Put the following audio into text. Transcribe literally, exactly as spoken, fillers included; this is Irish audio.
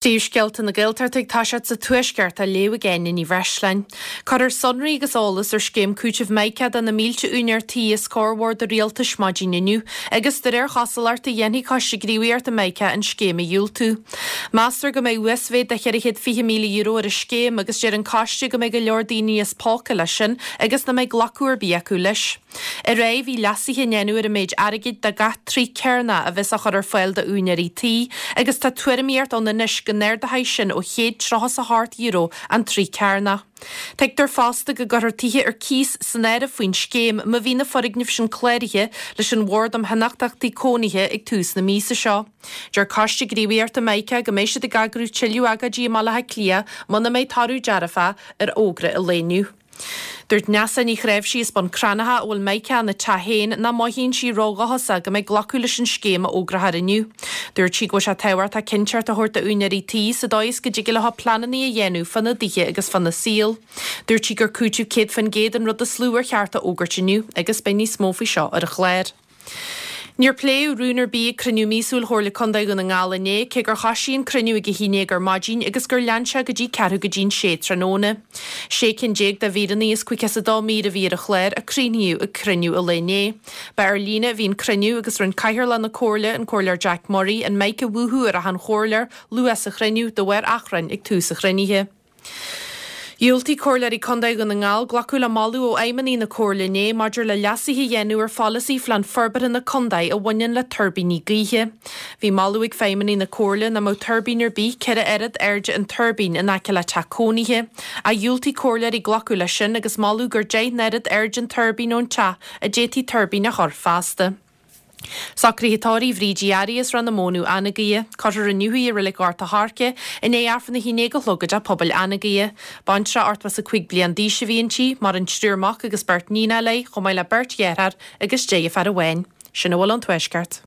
Príomhscéalta na Gaeltachta ag toiseacht sa Tuaisceart á léamh ag Áine Ní Bhreisleáin. Cuirfear sonraí agus eolas ar scéim cúitimh Mica do na mílte úinéir tí os comhair Bhord an Rialtais maidin inniu agus de réir chosúlachta dhéanfaidh Coiste Gníomhaíochta Mica an scéim a dhiúltú. Meastar go mbeidh uasmhéid de cheithre chéad fiche míle euro ar an scéim agus deir an coiste go mbeidh go leor daoine as póca leis sin agus nach mbeidh glacadh ar bith acu leis. Aréir bhí leasuithe á ndéanamh ar an méid airgid do gach troigh cearnach a bheas á chur ar fáil d'úinéirí tí agus tá tuairimíocht ann anois go n-ardóidh sin ó chéad tríocha is a hocht euro an troigh cearnach. Tuigtear fosta go gcuirfear tithe ar cíos san áireamh faoin scéim má bhí na foirgnimh sin cláraithe leis an Bhord um Thionóntachtaí Cónaithe ag tús na míosa seo. Deir Coiste Gníomhaíochta Mica go mbeidh siad ag eagrú tuilleadh agóidí i mBaile Átha Cliath muna mbeidh toradh dearfach ar fhógra an lae inniu. Dúirt Neasa Ní Chréimhsí as Bun Cranncha a bhfuil Mica ina teach féin nach mothaíonn sí ródhóchasach go mbeidh glacadh leis an scéim a fhógrófar inniu. Dúirt sí go bhfuil sé tábhachtach cinnteacht a thabhairt d'úinéirí tí sa dóigh is go dtig leo pleananna a dhéanamh fána dtithe agus fána saol. Dúirt sí gur cúiteamh céad faoin gcéad an rud is lú ar cheart a fhógairt inniu agus beidh níos mó faoi seo ar an chlár. Níor pléadh rún ar bith ag cruinniú míosúil Chomhairle Contae Dhún na nGall inné, cé gur thoisigh an cruinniú ag a haon déag ar maidin agus gur lean sé go dtí ceathrú go dtí an sé tráthnóna. Sé cinn déag de mhíreanna as caoga is a dó mír a bhí ar an chlár a críochnaíodh ag cruinniú an lae inné. Ba ar líne a bhí an cruinniú agus rinne Cathaoirleach na Comhairle, an Comhairleoir Jack Murray, an mic a mhúchadh ar achan chomhairleoir luath sa chruinniú de bharr achrainn ag tús an chruinnithe. Dhiúltaigh Comhairleoirí Contae Dhún na nGall glacadh le moladh ó fheidhmeannaigh na Comhairle inné maidir le leasuithe a dhéanamh ar pholasaí Phlean Forbartha na Contae a bhaineann le tuirbíní gaoithe. Bhí moladh ag feidhmeannaigh na Comhairle nach mbeadh tuirbín ar bith ceithre oiread airde an tuirbín in aice le teach cónaithe. Ach dhiúltaigh comhairleoirí glacadh leis sin agus moladh gur deich n-oiread airde an tuirbín ón teach a d'fhéadfaí tuirbín a chur feasta. Socruithe tórraimh Bhríd Uí Fhearraigh as Ráth na Mónadh Anagaire. Cuirfear inniu í i Reilig Ghort a' Choirce i ndiaidh Aifreann a haon déag a chlog i dTeach Pobail Anagaire. Baintreach ochtó is a cúig bliain d'aois a bhí inti, maireann triúr mac agus beirt níonacha léi, chomh maith le beirt dheartháir agus deirfiúr amháin. Sin a bhfuil ón Tuaisceart.